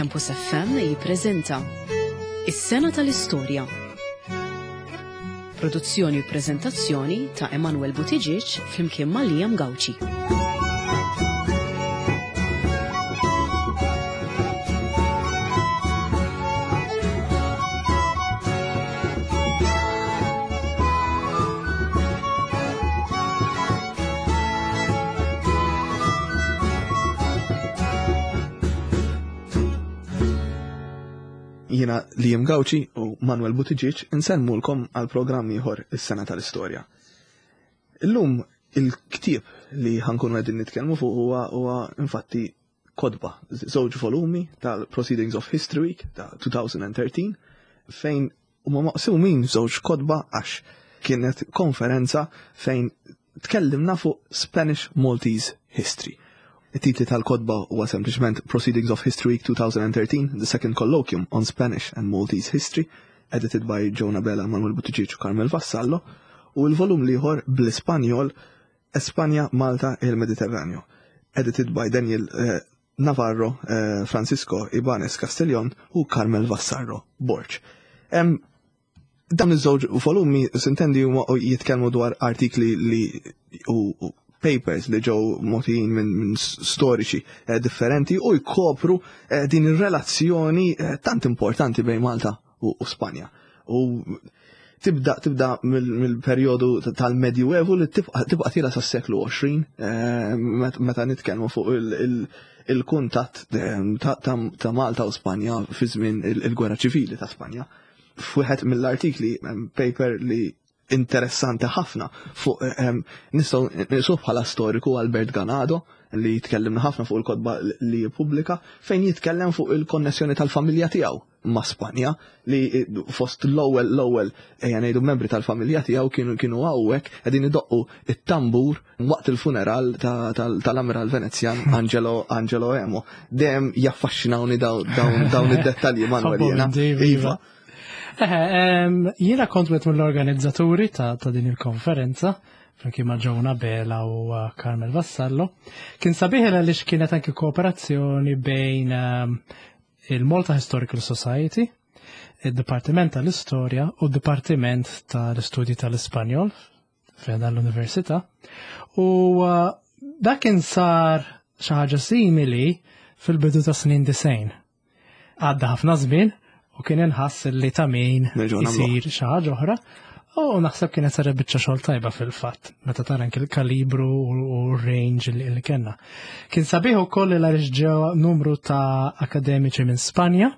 Campus FM jippreżenta Is-Sena tal-Istorja. Produzzjoni u preżentazzjoni ta' Emanuel Buttigieg flimkien ma' Liam Gauci. Jiena Liam Gauci u Manuel Buttigieg insellmulkom għal programm ieħor is-sena tal-istorja. Illum il-ktieb li ħankunu qegħdin nitkellmu fuq huwa huwa infatti kotba, żewġ volumi tal-Proceedings of History Week ta' 2013 fejn huma maqsumin żewġ kotba għax kienet konferenza fejn tkellimna fuq Spanish Maltese History. It-titli tal-kotba huwa sempliċement Proceedings of History Week 2013, The Second Colloquium on Spanish and Maltese History, edited by Jonah Bella, Manuel Buttigieg u Carmel Vassallo, u l-volum l-ieħor bl-Ispanjol Espanja, Malta e il Mediterraneo, edited by Daniel eh, Navarro, eh, Francisco Ibanez Castellon u Carmel Vassarro Borg. Dawn iż-żewġ volumi sintendi huma jitkellmu dwar artikli li u papers li ġew mogħtijin minn min storiċi eh, differenti u jkopru eh, din ir-relazzjoni eh, tant importanti bejn Malta u, u Spanja. U tibda tibda mill-perjodu tal-Medjuevu li tibqa' tibqa' tila sas-seklu 20 meta nitkellmu fuq il-kuntatt ta' Malta u Spanja fi żmien il-Gwerra Ċivili ta' Spanja. F'wieħed mill-artikli paper li interessanti ħafna fuq ehm, nistgħu nisuh bħala storiku Albert Ganado li jitkellimna ħafna fuq il-kotba li jippubblika fejn jitkellem fuq il-konnessjoni tal-familja tiegħu ma' Spanja li fost l-ewwel l-ewwel ejja ngħidu membri tal-familja tiegħu kienu kienu hawnhekk qegħdin idoqqu it-tambur waqt il-funeral tal-Amiral Venezjan Angelo Angelo Emo. Dejjem jaffaxxinawni dawn id-dettalji Manuel jiena. Iva. Jiena kont wieħed mill-organizzaturi ta' din il-konferenza flimkien ma' Ġona Bela u uh, Carmel Vassallo. Kien sabiħ għaliex kienet anki kooperazzjoni bejn il-Malta Historical Society, il-Dipartiment tal-Istorja u d-Dipartiment tal-Istudji tal-Ispanjol fejn l-Università. U uh, dak kien sar xi ħaġa simili fil-bidu ta' snin disejn. Għadda ħafna żmien u kien inħass li ta' min isir xi ħaġa oħra. U naħseb kienet saret biċċa xogħol tajba fil-fatt, meta tara anke l-kalibru u r-range li kellna. Kien sabiħ ukoll li għaliex ġew numru ta' akademiċi minn Spanja,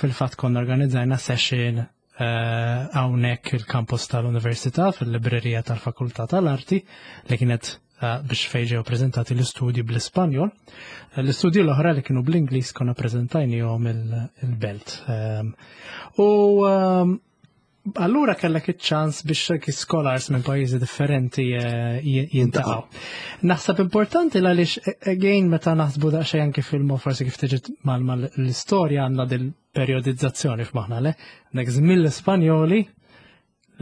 fil-fatt konna organizzajna session eh, hawnhekk il-kampus tal-Università fil-librerija tal-Fakultà tal-Arti li kienet eh, biex fejn ġew preżentati l-istudji bl-Ispanjol. Eh, l-istudji l-oħra li kienu bl-Ingliż konna preżentajnihom il-belt. Ehm, u ehm, Allura kellek iċ-ċans biex anki scholars minn pajjiżi differenti eh, jintaqgħu. Naħseb importanti għaliex eh, again meta naħsbu daqsxejn anki fil forsi kif tiġi mal-istorja għandna dil-periodizzazzjoni f'maħna le. Nek żmien l-Ispanjoli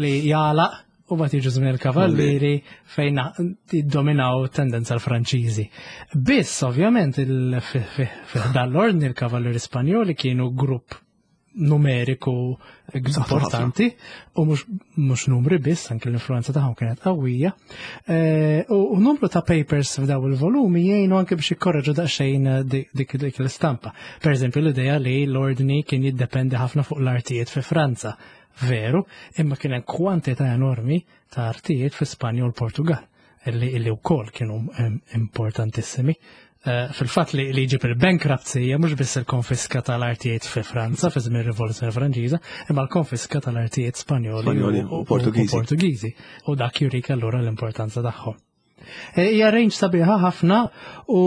li jagħlaq u bat jiġu żmien il-kavallieri fejn jiddominaw tendenza l-Franċiżi. Biss ovvjament fil-dan l-ordni l-kavallieri Spanjoli kienu grupp numeriku importanti u mhux numri biss, anke l-influenza tagħhom kienet qawwija. Eh, u numru ta' papers f'daw il-volumi jgħinu anke biex jikkorreġu daqsxejn eh, dik dik l-istampa. Per eżempju l-idea li l-ordni kien jiddependi ħafna fuq l-artijiet fi Franza. Veru, imma kien hemm kwantità enormi ta' artijiet fi Spanja u l-Portugal illi illi wkoll kienu importantissimi. Eh, fil-fatt li li ġib il-bankruptcy hija mhux biss il-konfiska tal-artijiet fi Franza fi żmien rivoluzzjoni Franċiża, imma l-konfiska tal-artijiet Spanjoli u Portugiżi. U dak jurik allura l-importanza tagħhom. Eh, hija range sabiħa ħafna u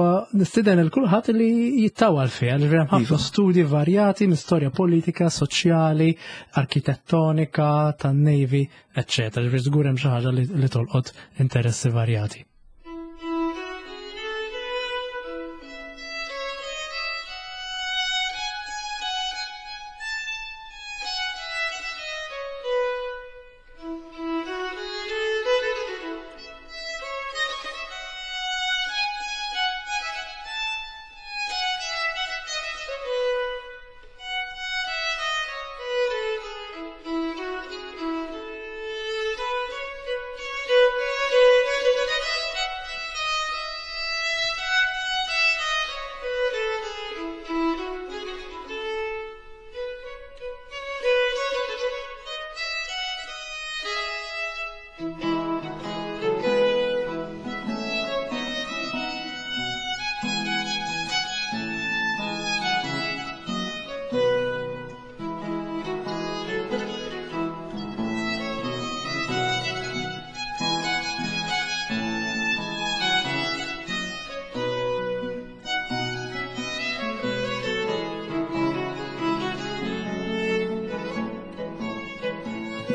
eh, nistieden il kulħadd li jittawal fiha, li hemm ħafna iva. studji varjati minn storja politika, soċjali, arkitettonika, tan-navy, eċċetera. Ġifieri żgur hemm xi ħaġa li tolqot interessi varjati.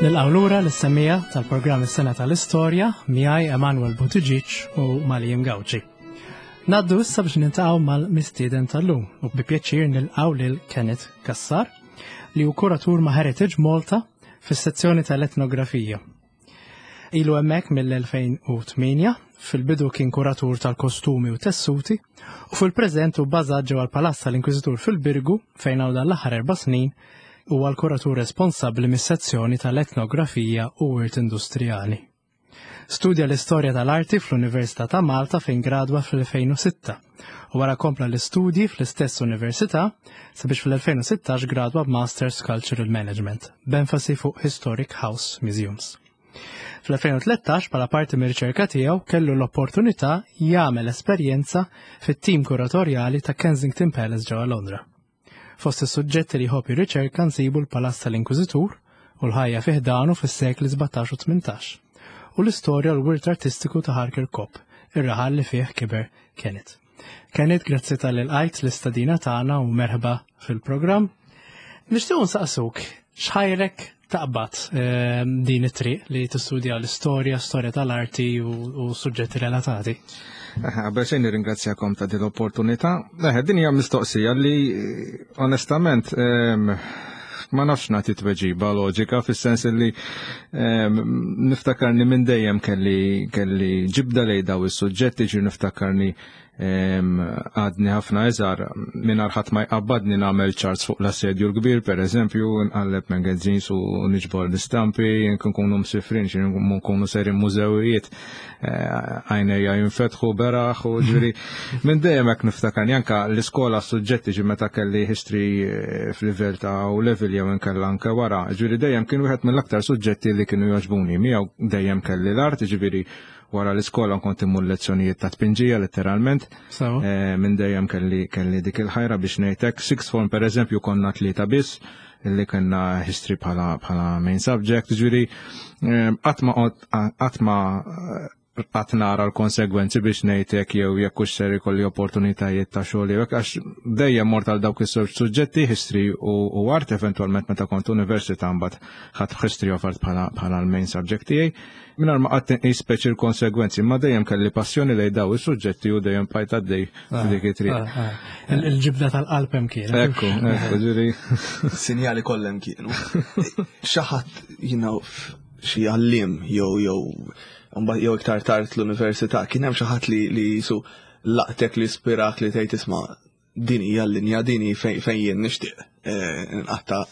Nilqgħu lura lis-semmiegħa tal-programm Is-Sena tal-Istorja miegħi Emanuel Buttigieg u Malijim Gauci. Naddu issa biex niltaqgħu mal-mistieden tal-lum u bi pjaċir nilqgħu lil Kenneth Cassar li hu kuratur ma' Heritage Malta fis-sezzjoni tal-etnografija. Ilu hemmhekk mill-2008, fil-bidu kien kuratur tal-kostumi u tessuti u fil-preżent hu bbażat ġewwa l-Palazz tal-Inkwiżitur fil-Birgu fejn għal dan l-aħħar erba' snin huwa l-kuratur responsabbli mis-sezzjoni tal-etnografija u wirt industrijali. Studja l-istorja tal-arti fl-Università ta' Malta fejn gradwa fl-2006 u wara kompla l-istudji fl-istess università sabiex fl-2016 gradwa b'Masters Cultural Management b'enfasi fuq Historic House Museums. Fl-2013 bħala parti mir-riċerka tiegħu kellu l-opportunità jagħmel esperjenza fit-tim kuratorjali ta' Kensington Palace ġewwa Londra. Fost is-suġġetti li jħobb jirriċerka nsibu l-Palazz tal-Inkwiżitur u l-ħajja fi ħdanu fis-sekli 17 u 18 u l-istorja u l-wirt artistiku ta' Ħal Kirkop, ir-raħal li fih kiber Kenneth. Kenneth, grazzi talli lqajt l-istadina tagħna u merħba fil-programm. Nixtiequ nsaqsuk x'ħajrek taqbad din it-triq li tistudja l-istorja, storja tal-arti u suġġetti relatati. Qabel xejn nirringrazzjakom ta' din l-opportunità. Din hija mistoqsija li onestament ma nafx nagħti tweġiba loġika fis-sens li niftakarni minn dejjem kelli kelli ġibda lejn daw is-suġġetti ġi niftakarni Għadni ħafna iżgħar mingħajr ħadd ma jqabbadni nagħmel charts fuq l-assedju l-kbir, pereżempju, nqalleb magazines u niġbor l-istampi, nkunu msifrin, xi nkunu serin mużewijiet, eh, għajnejja jinfetħu beraħ u ġifieri minn dejjem hekk niftakarni anke l-iskola suġġetti ġi meta kelli history eh, f'livell ta' u level jew inkella anke wara, ġifieri dejjem kien wieħed mill-aktar suġġetti li kienu jogħġbuni. Miegħu dejjem kelli l-art, ġifieri Wara l-iskola kont immur lezzjonijiet ta' tpinġija letteralment. Eh, minn dejjem kelli kelli dik il-ħajra biex ngħidlek. Sixth form pereżempju konna tlieta biss li kellna history bħala bħala main subject, ġifieri eh, qatt ma qatt ma qatt nara l-konsegwenzi biex ngħidlek jew jekk hux ser ikolli opportunitajiet ta' xogħol jew għax dejjem mort għal dawk is-żewġ suġġetti history u art eventwalment meta kont università mbagħad ħadd history of art bħala l-main subject tiegħi. Mingħajr ma qatt inqis speċi l-konsegwenzi, imma dejjem kelli passjoni lejn daw is-suġġetti u dejjem bqajt għaddej ah, f'dik it-triq. Ah, ah. Il-ġibda tal-qalb hemm kien. Ekku, ekku, ġiri. Sinjali kollha hemm kienu. Xi ħadd jina xi għallim jew jew jew iktar tard l-università kien hemm xi ħadd li li jisu laqtek li spirak li tgħid isma' din hija l-linja, din hi fejn jien nixtieq eh, nqatta'.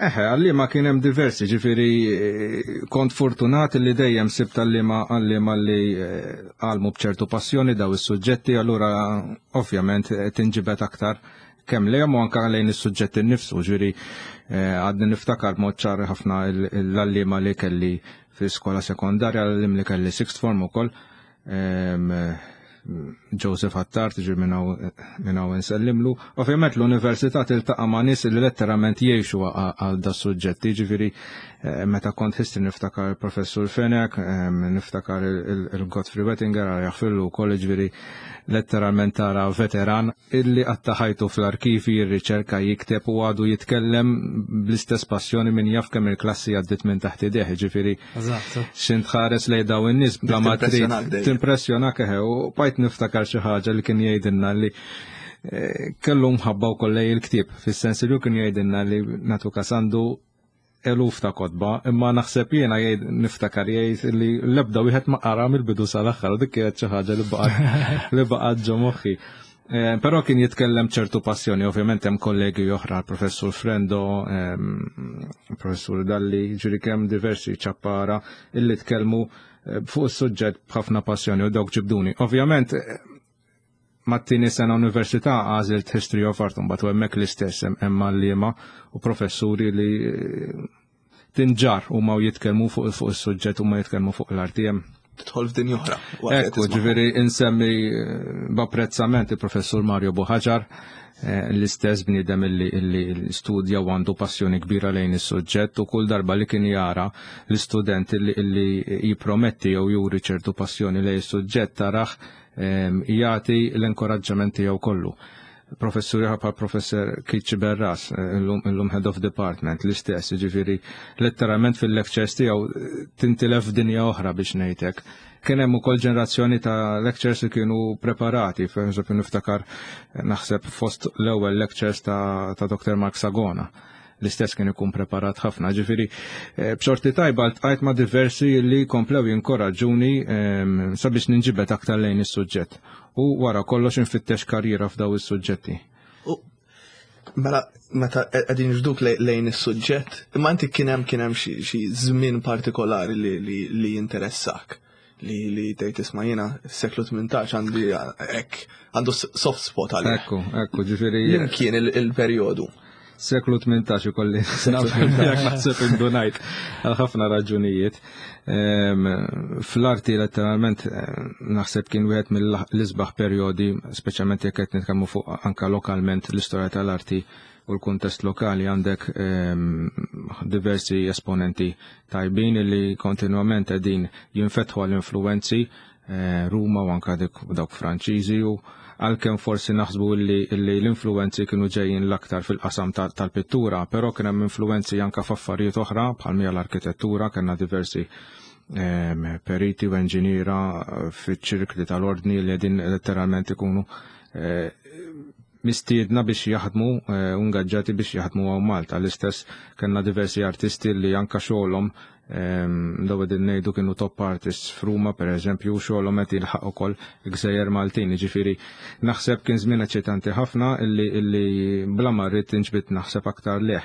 Eħe, għallima kien hemm diversi, ġifieri eh, kont fortunat li dejjem sibt għallima għallima li eh, għalmu bċertu passjoni daw is-suġġetti, allura ovvjament tinġibed aktar kemm lejhom u anke lejn is-suġġetti nnifsu, ġifieri għadni niftakar mod ċar ħafna l-għallima li kelli fl-iskola sekondarja, l-għallim li kelli sixth form ukoll. Joseph Attard, ġir minnaw nsellimlu. Ovvjament l-università tiltaqa' ma' nies li letterament jgħixu għal da suġġetti, ġifieri eh, meta kont history niftakar il-professur Fenek, niftakar il-Godfrey Wettinger għal jaħfillu wkoll ġifieri letteralment tara veteran illi qatta' ħajtu fl-arkivi jirriċerka jikteb u għadu jitkellem bl-istess passjoni min jaf kemm il-klassi għaddit minn taħt idejh, ġifieri x'int tħares lejn daw in-nies bla ma trid timpressjonak eħe u bajt niftakar xi ħaġa li kien jgħidilna li eh, kellu mħabba wkoll lej il-ktieb, fis-sens li kien jgħidilna li natu kasandu eluf ta' kotba, imma naħseb jiena jgħid niftakar jgħid li l-ebda wieħed ma qara mill-bidu sal-aħħar u dik kienet xi ħaġa li baqgħet li baqgħet ġo moħħi. Eh, però kien jitkellem ċertu passjoni, ovvjament hemm kollegi oħra, professur Frendo, ehm, professur Dalli, ġiri kemm diversi ċappara illi tkellmu eh, fuq is-suġġett b'ħafna passjoni u dawk ġibduni. Ovvjament eh, mat-tieni sena università għażilt History of Art mbagħad u hemmhekk l-istess hemm għalliema u professuri li eh, tinġar huma u jitkellmu fuq fuq is-suġġett huma jitkellmu fuq l-arti hemm. Tidħol f'dinja oħra. Ekku, ġifieri insemmi eh, b'apprezzament il-professur Mario Buħaġar eh, l-istess bniedem illi, illi studja u għandu passjoni kbira lejn is-suġġett u kull darba li kien jara l-istudent illi, illi jiprometti jew juri ċertu passjoni lejn is-suġġett taraħ jagħti l-inkoraġġament tiegħu kollu. Professur ieħor bħal Professor Keith Berras, illum Head of Department, l-istess, ġifieri letteralment fil-lectures tiegħu tintilef dinja oħra biex ngħidlek. Kien hemm ukoll ġenerazzjoni ta' lectures li kienu preparati, per eżempju niftakar naħseb fost l-ewwel lectures ta' Dr. Mark Sagona l-istess kien ikun preparat ħafna. Ġifieri, b'xorti tajba ltqajt ma' diversi li komplew jinkoraġġuni sabiex ninġibed aktar lejn is-suġġett. U wara kollox infittex karriera f'daw is-suġġetti. U mela meta qegħdin niġbduk lejn is-suġġett, imma inti kien hemm kien hemm xi żmien partikolari li jinteressak li tgħid isma' jiena s-seklu 18 għandi hekk għandu soft spot għalih. Ekku, ekku, ġifieri. Jien kien il-perjodu. Seklu 18 ikolli naħseb indunajt għal ħafna raġunijiet. Fl-arti letteralment naħseb kien wieħed mill-isbaħ perjodi, speċjalment jekk qed nitkellmu fuq anka lokalment l-istorja tal-arti u l-kuntest lokali għandek diversi esponenti tajbin li kontinwament qegħdin jinfetħu għall-influenzi Ruma u anka dawk Franċiżi u għalkemm forsi naħsbu li l-influenzi kienu ġejjin l-aktar fil-qasam tal-pittura, però kien hemm influenzi anka f'affarijiet oħra bħal mija l-arkitettura, kellna diversi periti u enġiniera fiċ-ċirkli tal-ordni li qegħdin letteralment ikunu mistiedna biex jaħdmu u ngaġġati biex jaħdmu hawn Malta. L-istess kellna diversi artisti li anka xogħolhom daw qegħdin ngħidu kienu top artists f'Ruma pereżempju u xogħolhom qed jilħaq ukoll gżejjer Maltin. Jiġifieri naħseb kien żmien eċitanti ħafna illi bla ma rrid inġbid naħseb aktar leh.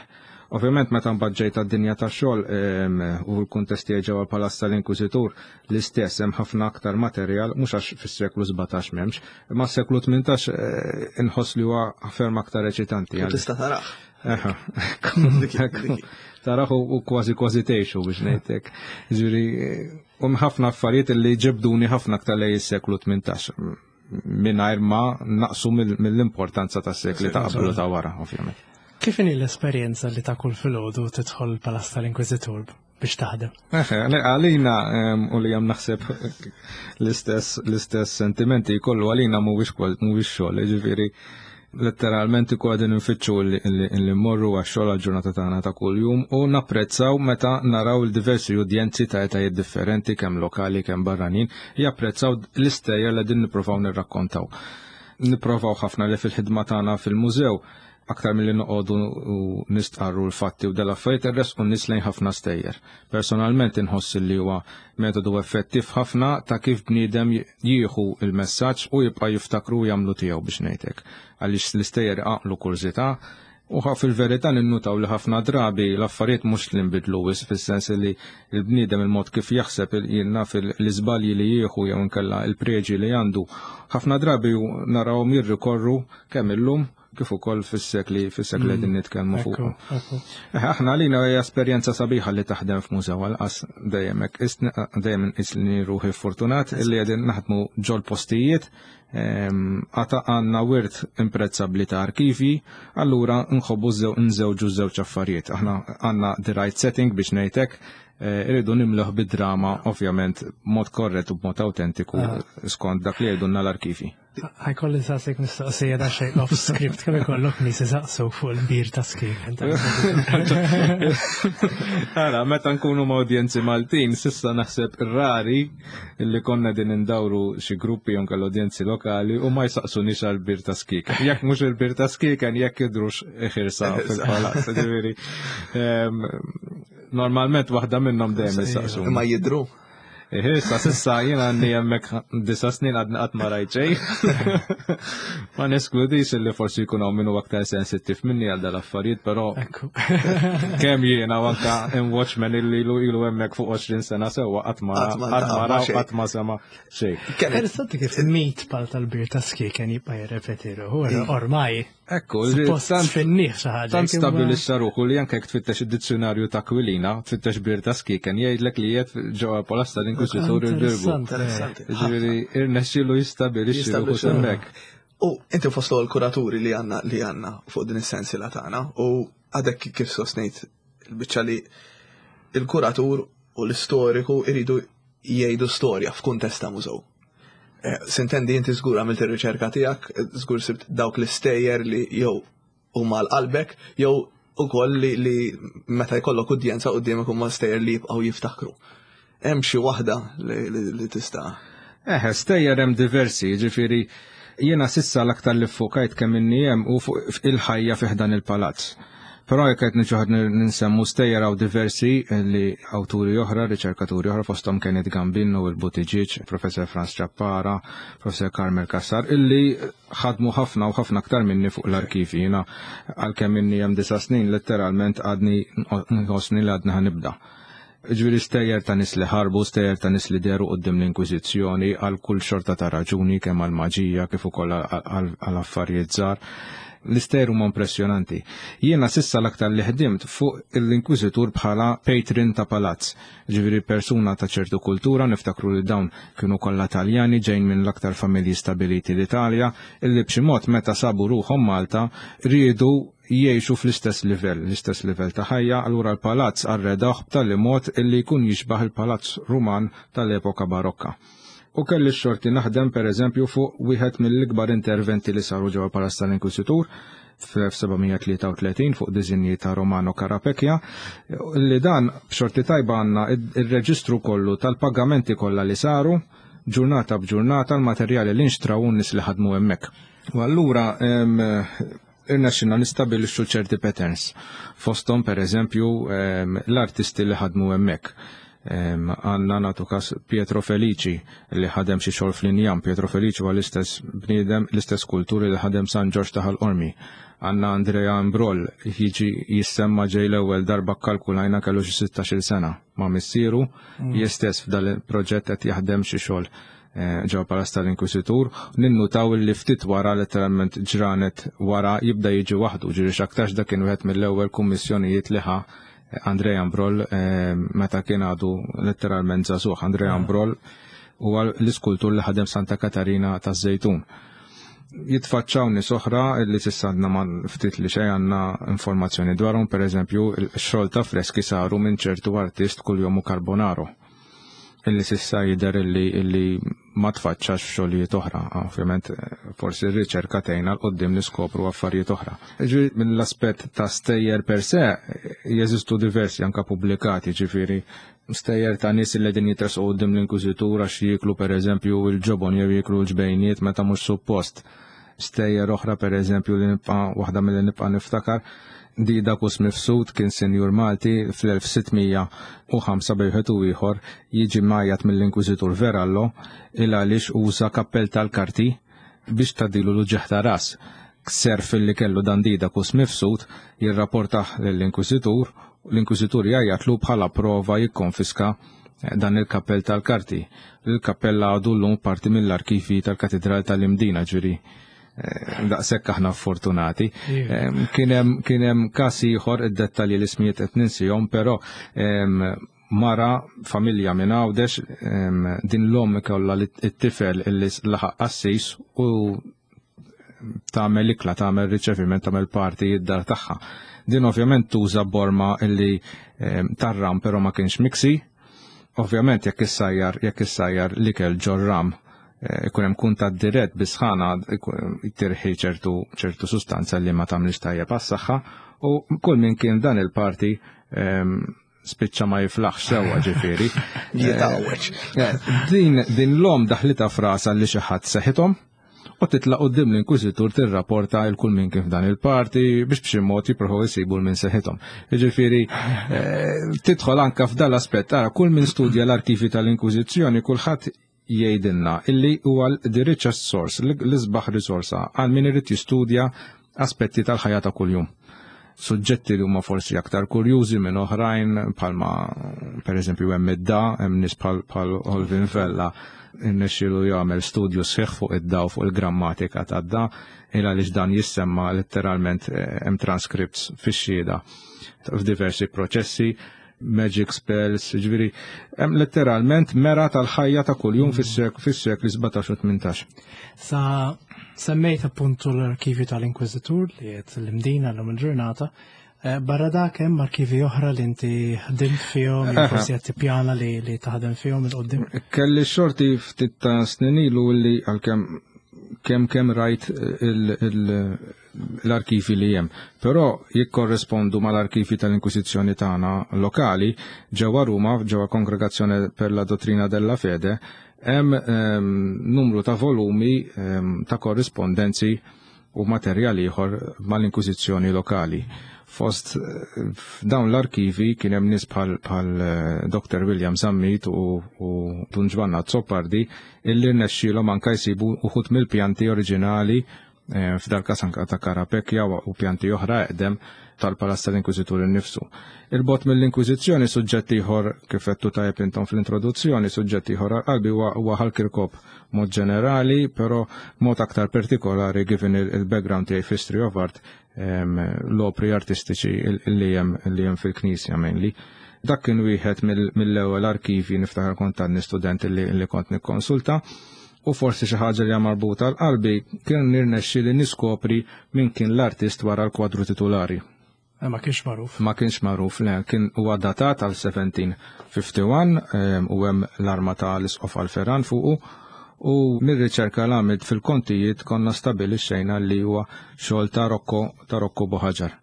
Ovvjament meta mbagħad ġejt għad-dinja tax-xogħol u l-kuntest tiegħi ġewwa l-Palazz tal-Inkwiżitur l-istess hemm ħafna aktar materjal mhux għax fis-seklu 17 m'hemmx, imma s-seklu 18 inħoss li huwa ferm aktar eċitanti. U tista' tarah. Tarah u kważi kważi tgħixu biex ngħidlek. Ġifieri u ħafna affarijiet li ġebduni ħafna aktar lejn is-seklu 18 mingħajr ma naqsu mill-importanza tas-sekli ta' qabel u ta' wara, ovvjament. Kif inhi l-esperjenza li ta' kull filgħodu tidħol il-Palazz tal-Inkwiżitur biex taħdem? Eħe, għalina u li hemm naħseb l-istess sentimenti jkollu għalina mhuwiex xogħol, jiġifieri letteralment ikun qegħdin infittxu li mmorru għax-xogħol għall-ġurnata tagħna ta' kuljum u napprezzaw meta naraw il-diversi udjenzi ta' etajiet differenti kemm lokali kemm barranin japprezzaw l-istejjer li qegħdin nippruvaw nirrakkontaw. Nipprovaw ħafna li fil-ħidma tagħna fil-mużew aktar milli noqogħdu u nistqarru l-fatti u dal-affarijiet irresqu n-nies lejn ħafna stejjer. Personalment inħoss li huwa metodu effettiv ħafna ta' kif bniedem jieħu il-messaġġ u jibqa' jiftakru u jagħmlu tiegħu biex ngħidlek. Għaliex l-istejjer iqanqlu kurżità u fil-verità ninnutaw li ħafna drabi l-affarijiet mhux li nbidlu wisq fis-sens li l-bniedem il-mod kif jaħseb jien naf l-iżbalji li jieħu jew inkella l-preġi li għandu ħafna drabi narawhom jirrikorru kemm illum kif ukoll fis-sekli fis-sekli qegħdin nitkellmu fuq. Aħna għalina hija esperjenza sabiħa li taħdem f'mużew għalqas dejjem hekk dejjem inqis li ruħi fortunat li qegħdin naħdmu ġol postijiet għata għandna wirt imprezzabbli ta' arkivi, allura nħobbu nżewġu żewġ affarijiet. Aħna għandna the right setting biex ngħidlek, irridu nimluh bid-drama ovvjament b'mod korrett u b'mod autentiku skont dak li jgħidulna l-arkivi. Ħa jkolli nsaqsik mistoqsija da xejn off script kemm ikollok nies isaqsuk fuq il-bir ta' skieken. Ara, meta nkunu ma' udjenzi Maltin, sissa naħseb rari li konna din indawru xi gruppi jew inkella udjenzi lokali u ma jsaqsunix għal bir ta' skieken. Jekk mhux il-bir ta' skieken, jekk jidhrux ħirsa fil-palazz, ġifieri. Normalment waħda minnhom dejjem isaqsu. Ma jidhru. Issa, sissa jiena għandi hemmhekk 9 snin għadni qatt ma rajt xejn. Ma neskludix li forsi jkun hawn min hu aktar sensittiv minni għal dal-affarijiet, però kemm jiena u anka hemm watchman illi ilu ilu hemmhekk fuq 20 sena sewwa qatt ma qatt ma raw qatt ma sema xejn. Interessanti kif mit pal tal-bir ta' skieken jibqa' jirrepeti ruħu, ormai. Ekku, tant finniħ xi ħaġa. Tant stabbilixxa ruħu li anke jekk tfittex id-dizzjonarju ta' Kwilina, tfittex bir ta' skieken, jgħidlek li qiegħed ġewwa Palazz tal-Inkwiżitur il-Birgu. Interessanti. Ġifieri irnexxielu jistabilixxi ruħu hemmhekk. U inti fost l kuraturi li għandna li għandna fuq din is-sensiela tagħna u għadek kif sostnejt il-biċċa li il-kuratur u l-istoriku iridu jgħidu storja f'kuntest ta' mużew. Sintendi inti żgur għamilt ir-riċerka tiegħek, żgur sibt dawk l-istejjer li jew huma għal qalbek jew ukoll li, li meta jkollok udjenza quddiemek huma stejjer li jibqgħu jiftakru. Hemm xi waħda li, li, li tista' Eħe, stejjer hemm diversi, ġifieri jiena sissa l-aktar li ffokajt kemm inni hemm u fuq il-ħajja fi ħdan il-palazz. Però jekk qed niġu ninsemmu stejjer hawn diversi li awturi oħra, riċerkaturi oħra fosthom Kenneth Gambino, il-Buttigieg, Professor Franz Ciappara, Professor Carmel Cassar, illi ħadmu ħafna u ħafna aktar minni fuq l-arkivi. Jiena għalkemm inni hemm disa' snin letteralment għadni nħossni li għadni ħanibda. Ġifieri stejjer ta' nies li ħarbu, stejjer ta' nies li dehru quddiem l-Inkwiżizzjoni għal kull xorta ta' raġuni, kemm għal maġija kif ukoll għal affarijiet żgħar. L-istejjer huma impressjonanti. Jiena sissa l-aktar li ħdimt fuq l-Inkwiżitur bħala patron ta' palazz, ġifieri persuna ta' ċertu kultura, niftakru li dawn kienu kollha Taljani ġejjin minn l-aktar familji stabiliti l-Italja, illi b'xi mod meta sabu ruħhom Malta riedu jgħixu fl-istess livell, l-istess livell ta' ħajja, allura l-palazz arredawh b'tali mod illi jkun jixbah il-palazz Ruman tal-epoka Barokka. U kelli x-xorti naħdem pereżempju fuq wieħed mill-ikbar interventi li saru ġewwa l-Palazz tal-Inkwiżitur fl-1733 fuq diżinji ta' Romano Carapecchia, li dan b'xorti tajba għandna ir-reġistru kollu tal-pagamenti kollha li saru, ġurnata b'ġurnata l-materjali li nxtraw u n-nies li ħadmu hemmhekk. U allura irnexxilna nistabilixxu ċerti patterns. Fosthom pereżempju l-artisti li ħadmu hemmhekk. Għandna nagħtu każ Pietro Felici li ħadem xi xogħol fl-injam. Pietro Felici huwa l-istess bniedem, l-istess kulturi li ħadem San Ġorġ ta' Ħal Qormi. Għandna Andrea Imbrol jiġi jissemma ġej l-ewwel darba kkalkulajna kellu xi 16-il sena ma' missieru, jistess f'dal il-proġett qed jaħdem xi xogħol ġewwa Palazz tal-Inkwisitur, ninnutaw li ftit wara letteralment ġranet wara jibda jiġi waħdu, ġieli x'aktarx dak kien wieħed mill-ewwel kummissjonijiet li ħa Andrea Ambrol meta kien għadu letteralment żagħżugħ. Andrea Ambrol huwa l-iskultur li ħadem Santa Katarina taż-Żejtun. Jitfaċċaw nies oħra li s'issa għadna ma ftit li xejn għandna informazzjoni dwarhom, pereżempju x-xogħol ta' freski saru minn ċertu artist kuljomu Carbonaro. Illi sissa jidher illi illi ma tfaċċax f'xogħlijiet oħra. Ovvjament forsi r-riċerka tgħinna 'l quddiem niskopru affarijiet oħra. Ġifieri mill-aspett ta' stejjer per se jeżistu diversi anke pubblikati, ġifieri stejjer ta' nies li qegħdin jitresqu quddiem l-inkwiżitur għax jieklu pereżempju l-ġobon jew jieklu l-ġbejniet meta mhux suppost. Stejjer oħra pereżempju li nibqa' waħda milli nibqa' niftakar Didacus Mifsud kien sinjur Malti fl-1605 bejn wieħed u ieħor jiġi mgħajjat mill-Inkwiżitur Verallo il għaliex uża kappell tal-karti biex tgħaddilu l-uġigħ ta' ras. Serf li kellu dan Didacus Mifsud jirrapportah lill-Inkwiżitur, l-Inkwiżitur jgħajjatlu bħala prova jikkonfiska dan il-kappell tal-karti. Il-kappell għadu llum parti mill-arkivi tal-Katidral tal-Imdina, ġifieri daqshekk aħna fortunati. Kien hemm każ ieħor id-dettalji l-ismijiet qed ninsihom, però mara familja minn Għawdex din l-omm ikollha it-tifel illi laħaq qassis u tagħmel ikla, tagħmel riċeviment, tagħmel parti id-dar tagħha. Din ovvjament tuża borma illi tarram però ma kienx miksi. Ovvjament jekk issajjar jekk issajjar l-ikel ġor-ram ikun hemm kuntatt dirett bi sħana tirħi ċertu ċertu sustanza li ma tagħmilx tajjeb għas-saħħa u kull min kien dan il-parti spiċċa ma jiflaħx sewwa ġifieri. Jitgħawweġ. Din din l-om daħlitha frasa li xi ħadd seħithom u titla' quddiem l-inkwiżitur tirrapporta il kull min kien f'dan il-parti biex b'xi mod jippruvaw isibu l min seħithom. Jiġifieri tidħol anke f'dan l-aspett ara kull min studja l-arkivi tal-Inkwiżizzjoni kulħadd jgħidilna illi huwa the richest source, l-isbaħ risorsa għal min irid jistudja aspetti tal-ħajja ta' kuljum. Suġġetti li huma forsi aktar kurjużi minn oħrajn bħalma pereżempju hemm id-da, hemm nies bħal Olvin Vella irnexxielu jagħmel studju sħiħ fuq id-da u fuq il-grammatika tad-da, il għaliex dan jissemma letteralment hemm transcripts fix-xhieda f'diversi proċessi magic spells, ġifieri hemm letteralment mera tal-ħajja ta' kuljum fis-sekli 17 u 18. Sa semmejt appuntu l-arkivju tal-Inkwiżitur li qed l-Imdina llum il-ġurnata. Eh, barra dak hemm arkivi oħra li inti ħdimt fihom, jew forsi qed tippjana li, li taħdem fihom il-qoddim. Kelli xorti ftit ta' snin ilu li għalkemm kemm kemm rajt l-arkivi li hemm. Però jikkorrespondu mal-arkivi tal-Inkwiżizzjoni tagħna lokali ġewwa Ruma, ġewwa Kongregazzjoni per la Dottrina della Fede, hemm ehm, numru ta' volumi ehm, ta' korrispondenzi u materjal ieħor mal-Inkwiżizzjoni lokali. Fost eh, dawn l-arkivi kien hemm nies bħal eh, Dr. William Zammit u, u Dun Ġwanna Azzopardi illi rnexxielhom anka jsibu uħud mill-pjanti oriġinali eh, f'dal każ anka ta' Karapekja u pjanti oħra eqdem tal-Palazz tal-Inkwiżitur innifsu. Il-bot mill-Inkwiżizzjoni suġġett ieħor kif għedtu tajjeb intom fl-introduzzjoni, suġġett ieħor għal qalbi huwa Ħal Kirkop mod ġenerali, però mod aktar partikolari given il-background tiegħi f'History of Art l-opri artistiċi li hemm li hemm fil-Knisja mainly. Dak kien wieħed mill-ewwel arkivi niftakar kont għadni student li kont nikkonsulta u forsi xi ħaġa li hija marbuta għal qalbi kien nirnexxi li niskopri min kien l-artist wara l-kwadru titulari. Eh, ma kienx magħruf. Ma kienx magħruf, le, kien huwa datat għal 1751 ehm, u hemm l-arma ta' l-isqof Alferan fuqu u mir-riċerka l għamilt fil-kontijiet konna stabilixxejna li huwa xogħol ta' Rocco ta' Rocco Buħaġar.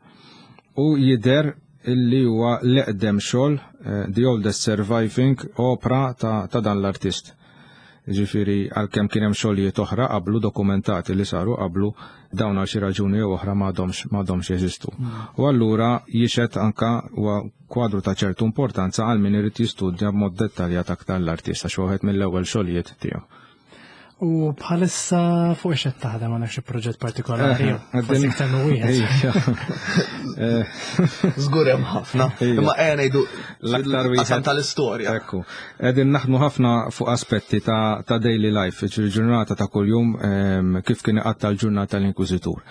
U jidher illi huwa l-eqdem xogħol eh, the oldest surviving opra ta', ta dan l-artist. Jiġifieri għalkemm kien hemm xogħlijiet oħra qablu dokumentati li saru qablu dawn għal xi raġuni jew oħra m'għadhomx m'għadhomx jeżistu. U allura jixhed anka huwa kwadru ta' ċertu importanza għal min irid jistudja b'mod dettaljat aktar l-artist għax wieħed mill-ewwel xogħlijiet tiegħu. U bħalissa fuq ix qed taħdem għandek xi proġett partikolari jew forsi iktar minn wieħed. Żgur hemm ħafna. Imma ejja ngħidu l-aktar wieħed tal-istorja. Ekku. Qegħdin naħdmu ħafna fuq aspetti ta', ta daily life, ġurnata ta' kuljum ehm, kif kien iqatta l-ġurnata l-Inkwiżitur.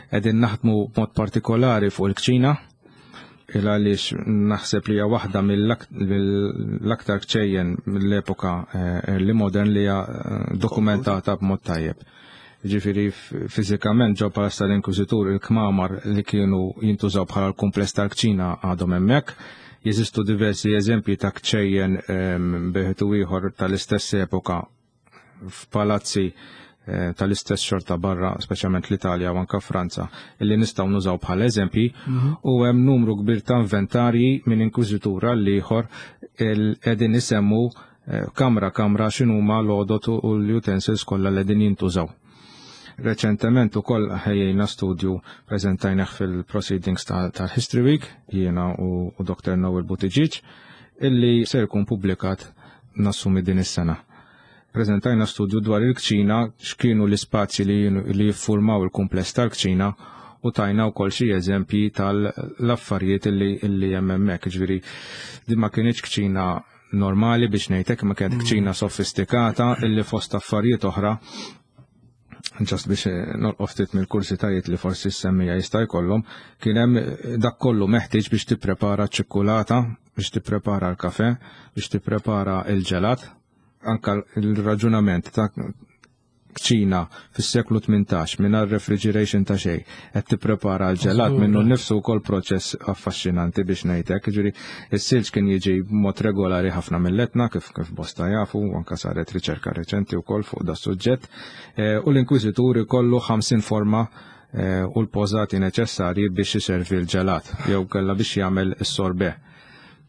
Qegħdin naħdmu b'mod partikolari fuq il-kċina, il għaliex naħseb li hija waħda mill-aktar kċejjen mill-epoka eh, li modern li hija eh, dokumentata b'mod tajjeb. Ġifieri fiżikament ġo Palazz tal-Inkwiżitur il-kmamar li kienu jintużaw bħala l-kumpless tal-kċina għadhom hemmhekk. Jeżistu diversi eżempji ta' kċejjen ehm, beħet u ieħor tal-istess epoka f'palazzi eh, tal-istess xorta barra, speċjalment l-Italja u anka Franza, illi nistgħu nużaw bħala eżempji, mhm. u hemm numru kbir ta' inventarji minn inkwiżitura l ieħor qegħdin isemmu Eh, kamra kamra x'inhuma l-għodot u l-utensils kollha li qegħdin jintużaw. Reċentement ukoll ħejjejna studju preżentajnih fil-proceedings tal-History Week, jiena u Dr. Noel Buttigieg, illi se jkun publikat nassumi din is-sena. Preżentajna studju dwar il-kċina, x'kienu l-ispazji li jiffurmaw il-kumpless tal-kċina u tajna wkoll xi eżempji tal-affarijiet illi hemm hemmhekk. Ġifieri din ma kinitx kċina normali biex ngħidlek ma kienet kċina sofistikata illi fost affarijiet oħra ġast biex eh, nolqof ftit mill-kursitajiet li forsi s-semmija jista' jkollhom, kien hemm eh, dak kollu meħtieġ biex tipprepara ċ-ċikkulata, biex tipprepara l-kafe, biex tipprepara l-ġelat, anka l-raġunament ta' kċina fis-seklu 18 mingħajr refrigeration ta' xejn qed tipprepara l-ġelat minnu nnifsu wkoll proċess affaxxinanti biex ngħidlek. Jiġifieri is-silġ kien jiġi b'mod regolari ħafna mill-Etna kif kif bosta jafu, anke saret riċerka reċenti wkoll fuq da suġġett. Eh, u l-inkwiżitur ikollu 50 forma eh, u l-pożati neċessarji biex iservi l-ġelat jew kellha biex jagħmel is-sorbet.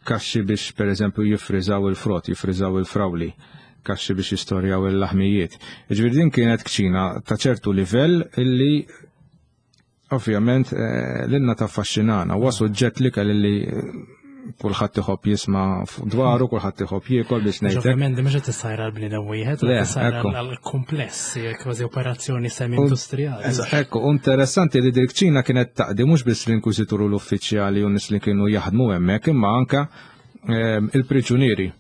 Kaxxi biex pereżempju jiffriżaw il-frott, jiffriżaw il-frawli kaxxi biex jistorjaw il-laħmijiet. Ġifieri din kienet kċina ta' ċertu livell illi ovvjament eh, l-inna ta' affaxxinana, huwa suġġett li kelli li eh, kulħadd iħobb jisma' dwaru, kulħadd iħobb jiekol biex ngħid. Ovvjament mhux qed issajra għall-bniedem wieħed, qed issajra għall-kumpless, kważi operazzjoni semi-industrijali. Ekku, interessanti li dik ċina kienet taqdi mhux biss l-inkwiżitur u l-uffiċjali u nies li kienu jaħdmu hemmhekk, imma anka eh, il-priġunieri.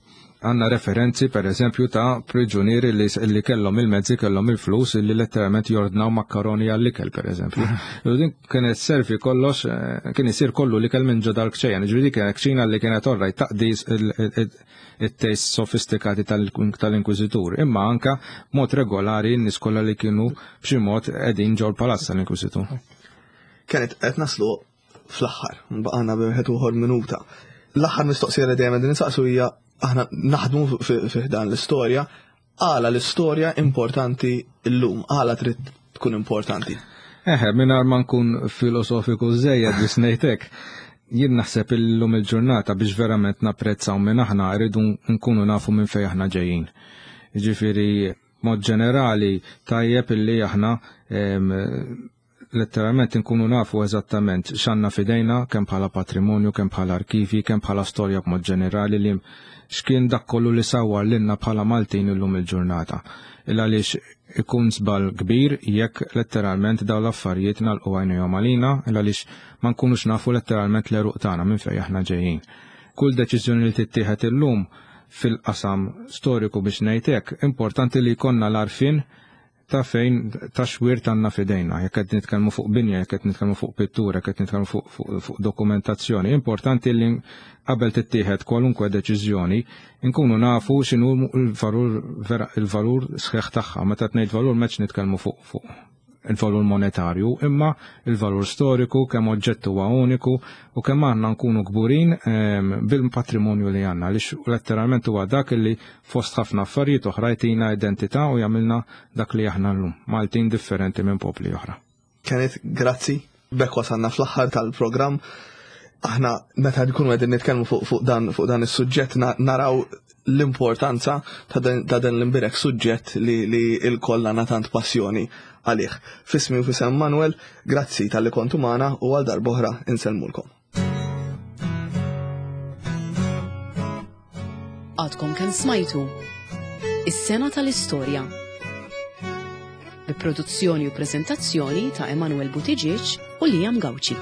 Għandna referenzi per eżempju ta' priġunieri li, li kellhom il-mezzi, kellhom il-flus li letteralment jordnaw makkaroni għall-ikel per eżempju. U din kienet servi kollox, eh, kien isir kollu l-ikel minn ġo dal-kċejjen. Ġifieri kienet kċina li kienet orraj taqdi it-test sofistikati tal-inkwiżitur, imma anka mod regolari n-nies kollha li kienu b'xi mod qegħdin ġol palazz tal-inkwiżitur. Kienet qed naslu fl-aħħar, baqgħana wieħed uħor minuta. L-aħħar mistoqsija li dejjem qegħdin insaqsu hija aħna naħdmu fi dan l-istorja, għala l-istorja importanti llum, għala trid tkun importanti. Eħe, mingħajr ma nkun filosofiku żejjed biex ngħidlek, jien naħseb illum il-ġurnata biex verament napprezzaw minn aħna rridu nkunu nafu minn fejn aħna ġejjin. Ġifieri mod ġenerali tajjeb illi aħna letteralment inkunu nafu eżattament x'għandna f'idejna kemm bħala patrimonju, kemm bħala arkivi, kemm bħala storja b'mod ġenerali li x'kien dak kollu li sawwar lilna bħala Maltin illum il-ġurnata. Il għaliex ikun żball kbir jekk letteralment dawn l-affarijiet nagħlqu għajnejhom għalina, il għaliex ma nkunux nafu letteralment l-għeruq tagħna minn fejn aħna ġejjin. Kull deċiżjoni li tittieħed illum fil-qasam storiku biex ngħid hekk, importanti li jkollna l-għarfien ta' fejn ta' xwirt għandna f'idejna, jekk qed nitkellmu fuq binja, jekk qed nitkellmu fuq pittura, jekk qed nitkellmu fuq, fuq, fuq dokumentazzjoni. Importanti li qabel tittieħed kwalunkwe deċiżjoni nkunu nafu x'inhu l-valur vera il-valur sħiħ tagħha. Meta tgħid valur m'hemmx nitkellmu fuq fuq il-valur monetarju, imma il-valur storiku, kemm oġġett huwa uniku u kemm aħna nkunu kburin ehm, bil-patrimonju li għandna, għaliex letteralment huwa dak li fost ħafna affarijiet oħra jtina identità u jagħmilna dak li aħna llum, Maltin differenti minn popli oħra. Kenneth, grazzi. B'hekk wasalna fl-aħħar tal-programm. Aħna meta nkunu qegħdin nitkellmu fuq fuq dan fuq dan is-suġġett naraw l-importanza ta' dan l-imbirek suġġett li li l-koll għandna tant passjoni għalih. Fismi u fisem Manuel, grazzi talli kontu magħna u għal darb'oħra insellmulkom. Għadkom kemm smajtu Is-sena tal-istorja. Bi produzzjoni u preżentazzjoni ta' Emanuel Buttigieg u Liam Gauci.